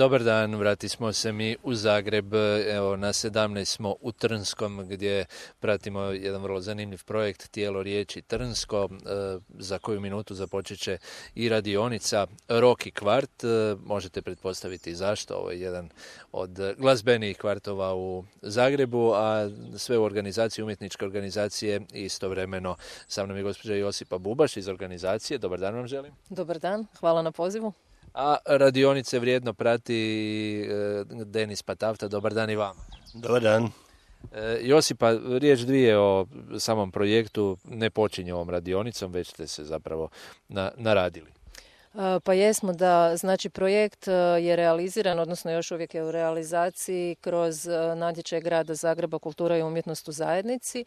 Dobar dan, vratismo se mi u Zagreb, evo na 17 smo u Trnskom gdje pratimo jedan vrlo zanimljiv projekt Tijelo riječi Trnsko, za koju minutu započet će i radionica Rock kvart, možete pretpostaviti zašto, ovo je jedan od glazbenijih kvartova u Zagrebu, a sve u organizaciji, umjetničke organizacije i istovremeno sa mnom je gospođa Josipa Bubaš iz organizacije. Dobar dan vam želim. Dobar dan, hvala na pozivu. A radionice vrijedno prati Denis Patafta. Dobar dan i vama. Dobar dan. Josipa, riječ dvije o samom projektu. Ne počinje ovom radionicom, već ste se zapravo naradili. Pa jesmo da, znači projekt je realiziran, odnosno još uvijek je u realizaciji kroz natječaj Grada Zagreba Kultura i umjetnost u zajednici.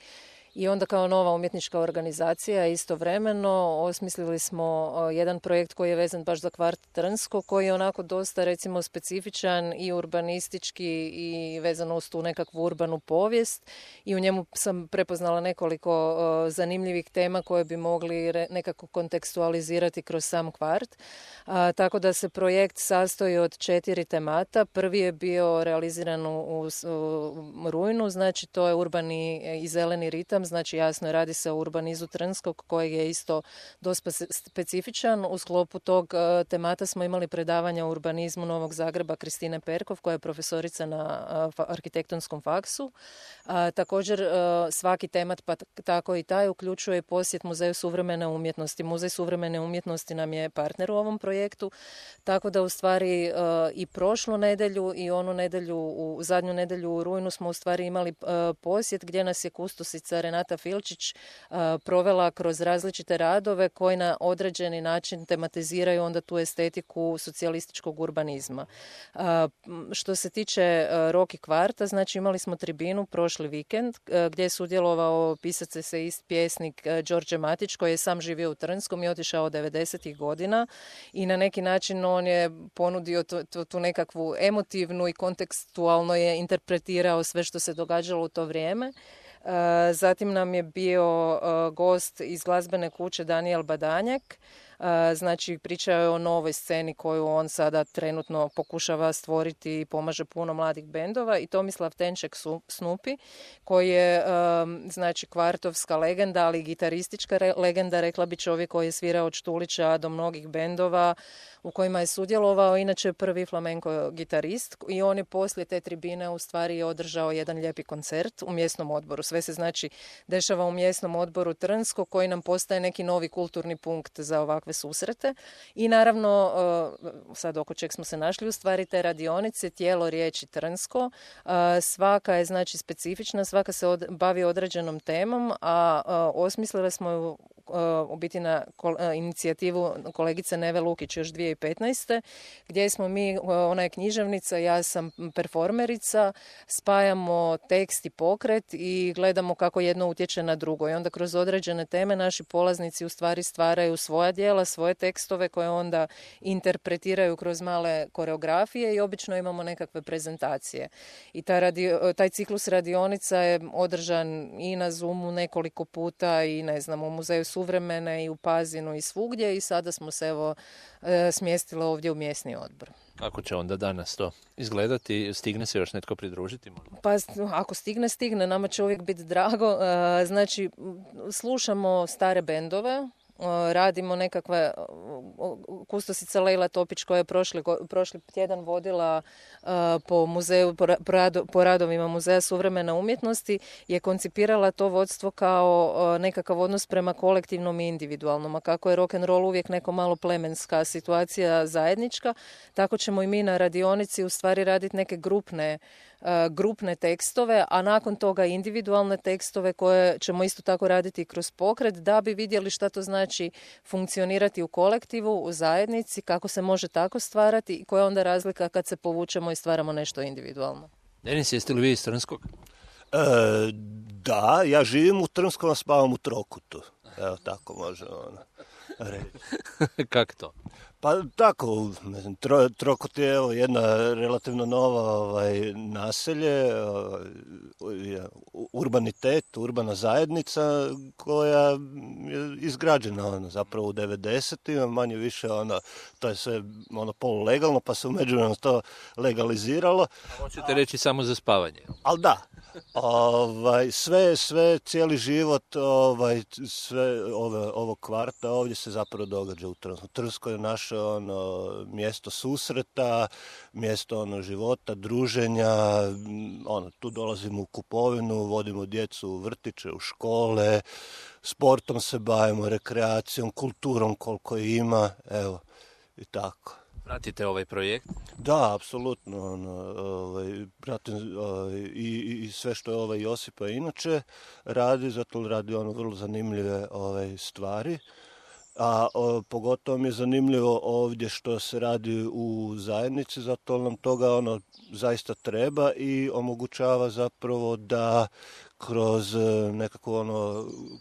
I onda kao nova umjetnička organizacija istovremeno osmislili smo jedan projekt koji je vezan baš za kvart Trnsko, koji je onako dosta recimo specifičan i urbanistički i vezano uz tu nekakvu urbanu povijest i u njemu sam prepoznala nekoliko zanimljivih tema koje bi mogli nekako kontekstualizirati kroz sam kvart. Tako da se projekt sastoji od 4 temata. Prvi je bio realiziran u rujnu, znači to je urbani i zeleni ritam. Znači jasno radi se o urbanizu Trnskog kojeg je isto dosta specifičan. U sklopu tog temata smo imali predavanja o urbanizmu Novog Zagreba Kristine Perkov koja je profesorica na arhitektonskom faksu. Također svaki temat pa tako i taj uključuje posjet Muzeju suvremene umjetnosti. Muzej suvremene umjetnosti nam je partner u ovom projektu, tako da u stvari i prošlu nedjelju i onu nedjelju, zadnju nedjelju u rujnu smo u stvari imali posjet gdje nas je kustosica Renata Filčić provela kroz različite radove koji na određeni način tematiziraju onda tu estetiku socijalističkog urbanizma. Što se tiče Rock kvarta, znači imali smo tribinu prošli vikend gdje je sudjelovao pisac eseist, pjesnik Đorđe Matić koji je sam živio u Trnskom i otišao od 90-ih godina i na neki način on je ponudio tu nekakvu emotivnu i kontekstualno je interpretirao sve što se događalo u to vrijeme. Zatim nam je bio gost iz glazbene kuće Danijel Badanjak. Znači pričao je o novoj sceni koju on sada trenutno pokušava stvoriti i pomaže puno mladih bendova i Tomislav Tenček Snupi koji je znači kvartovska legenda, ali i gitaristička legenda, rekla bi čovjek koji je svirao od Štulića do mnogih bendova u kojima je sudjelovao, inače je prvi flamenko gitarist i on je poslije te tribine u stvari održao jedan lijepi koncert u mjesnom odboru. Sve se znači dešava u mjesnom odboru Trnsko koji nam postaje neki novi kulturni punkt za ovakve susrete. I naravno, sad oko čeg smo se našli u stvari te radionice, Tijelo riječi Trnsko. Svaka je znači specifična, svaka se bavi određenom temom, a osmislili smo ju u biti na inicijativu kolegice Neve Lukić još 2015. gdje smo mi, ona je književnica, ja sam performerica, spajamo tekst i pokret i gledamo kako jedno utječe na drugo. I onda kroz određene teme naši polaznici u stvari stvaraju svoja djela, svoje tekstove koje onda interpretiraju kroz male koreografije i obično imamo nekakve prezentacije. I taj ciklus radionica je održan i na Zoomu nekoliko puta i ne znam, u Muzeju suvremene i u Pazinu i svugdje i sada smo se evo smjestili ovdje u mjesni odbor. Kako će onda danas to izgledati? Stigne se još netko pridružiti? Možda? Pa ako stigne, nama će uvijek biti drago. Znači, slušamo stare bendove, radimo nekakve, kustosica Lejla Topić koja je prošli tjedan vodila po muzeju, po radovima Muzeja suvremene umjetnosti, je koncipirala to vodstvo kao nekakav odnos prema kolektivnom i individualnom, a kako je rock and roll uvijek neko malo plemenska situacija zajednička, tako ćemo i mi na radionici u stvari raditi neke grupne tekstove, a nakon toga individualne tekstove koje ćemo isto tako raditi kroz pokret da bi vidjeli šta to znači funkcionirati u kolektivu, u zajednici, kako se može tako stvarati i koja je onda razlika kad se povučemo i stvaramo nešto individualno. Denis, jeste li vi iz Trnskog? Da, ja živim u Trnskom, a spavam u Trokutu. Evo tako može reći. Kako to? Pa tako, ne znam, Trokut je evo, jedna relativno nova naselje, urbanitet, urbana zajednica koja je izgrađena zapravo u 90-ima, manje više to je sve polulegalno, pa se u međuvremenu to legaliziralo. Hoćete reći samo za spavanje? Ali da, sve, cijeli život, sve ovog kvarta ovdje se zapravo događa u Trnskoj. Trnsko je naše mjesto susreta, mjesto života, druženja, tu dolazimo u kupovinu, vodimo djecu u vrtiće, u škole, sportom se bavimo, rekreacijom, kulturom koliko ima, evo, i tako. Pratite ovaj projekt? Da, apsolutno. Pratim i sve što Josipa inače radi, zato radi vrlo zanimljive stvari. A pogotovo mi je zanimljivo ovdje što se radi u zajednici, zato nam toga zaista treba i omogućava zapravo da kroz nekako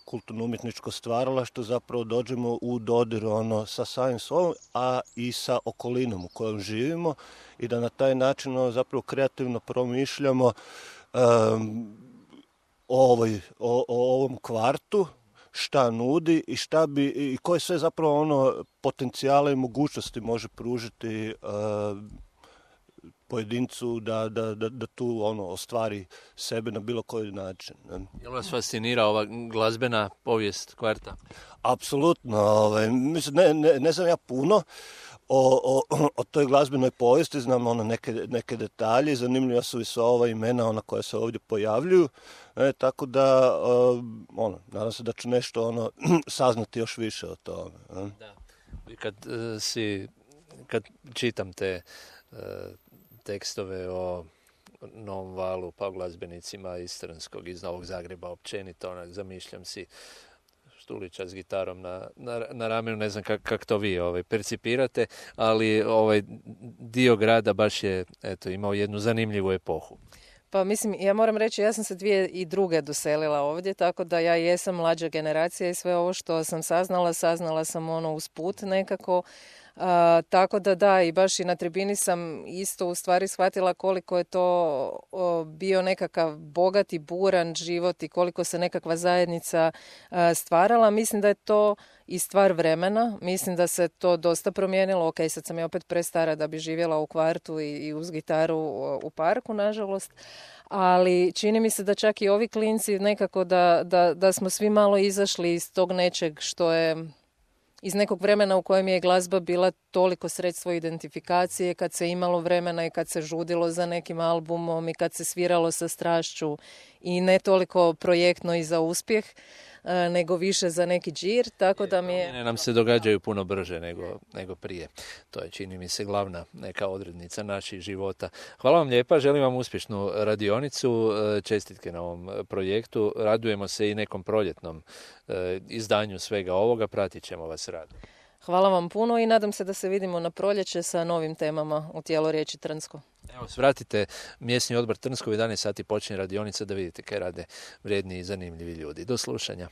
kulturno-umjetničko stvaralaštvo zapravo dođemo u dodir sa samim sobom, a i sa okolinom u kojoj živimo i da na taj način zapravo kreativno promišljamo o ovom kvartu, šta nudi i i koje sve zapravo potencijale i mogućnosti može pružiti pojedincu da tu ostvari sebe na bilo koji način. Je li vas fascinira ova glazbena povijest kvarta? Apsolutno. Mislim, ne znam ja puno o toj glazbenoj povijesti, znam neke detalje, zanimljiva su i sva ova imena koja se ovdje pojavljuju, tako da nadam se da ću nešto saznati još više o tome. Da. Kad čitam te tekstove o Novom valu, pa o glazbenicima iz Trnskog, iz Novog Zagreba općenito, zamišljam si Štulića s gitarom na ramenu, ne znam kako to vi percipirate, ali dio grada baš je imao jednu zanimljivu epohu. Pa mislim, ja moram reći, ja sam se 2002. doselila ovdje, tako da ja jesam mlađa generacija i sve ovo što sam saznala sam usput nekako. Tako da, i baš i na tribini sam isto u stvari shvatila koliko je to bio nekakav bogat i buran život i koliko se nekakva zajednica stvarala. Mislim da je to i stvar vremena. Mislim da se to dosta promijenilo. Ok, sad sam ja opet prestara da bi živjela u kvartu i uz gitaru u parku, nažalost. Ali čini mi se da čak i ovi klinci nekako da smo svi malo izašli iz tog nečeg što je iz nekog vremena u kojem je glazba bila toliko sredstvo identifikacije, kad se imalo vremena i kad se žudilo za nekim albumom i kad se sviralo sa strašću i ne toliko projektno i za uspjeh, nego više za neki džir, tako da mi je... Nam se događaju puno brže nego prije. To je, čini mi se, glavna neka odrednica naših života. Hvala vam lijepa, želim vam uspješnu radionicu, čestitke na ovom projektu, radujemo se i nekom proljetnom izdanju svega ovoga, pratit ćemo vas rad. Hvala vam puno i nadam se da se vidimo na proljeće sa novim temama u Tijelo riječi Trnsko. Evo, svratite mjesni odbor Trnsko, u 11 sati počinje radionica da vidite kaj rade vrijedni i zanimljivi ljudi. Do slušanja.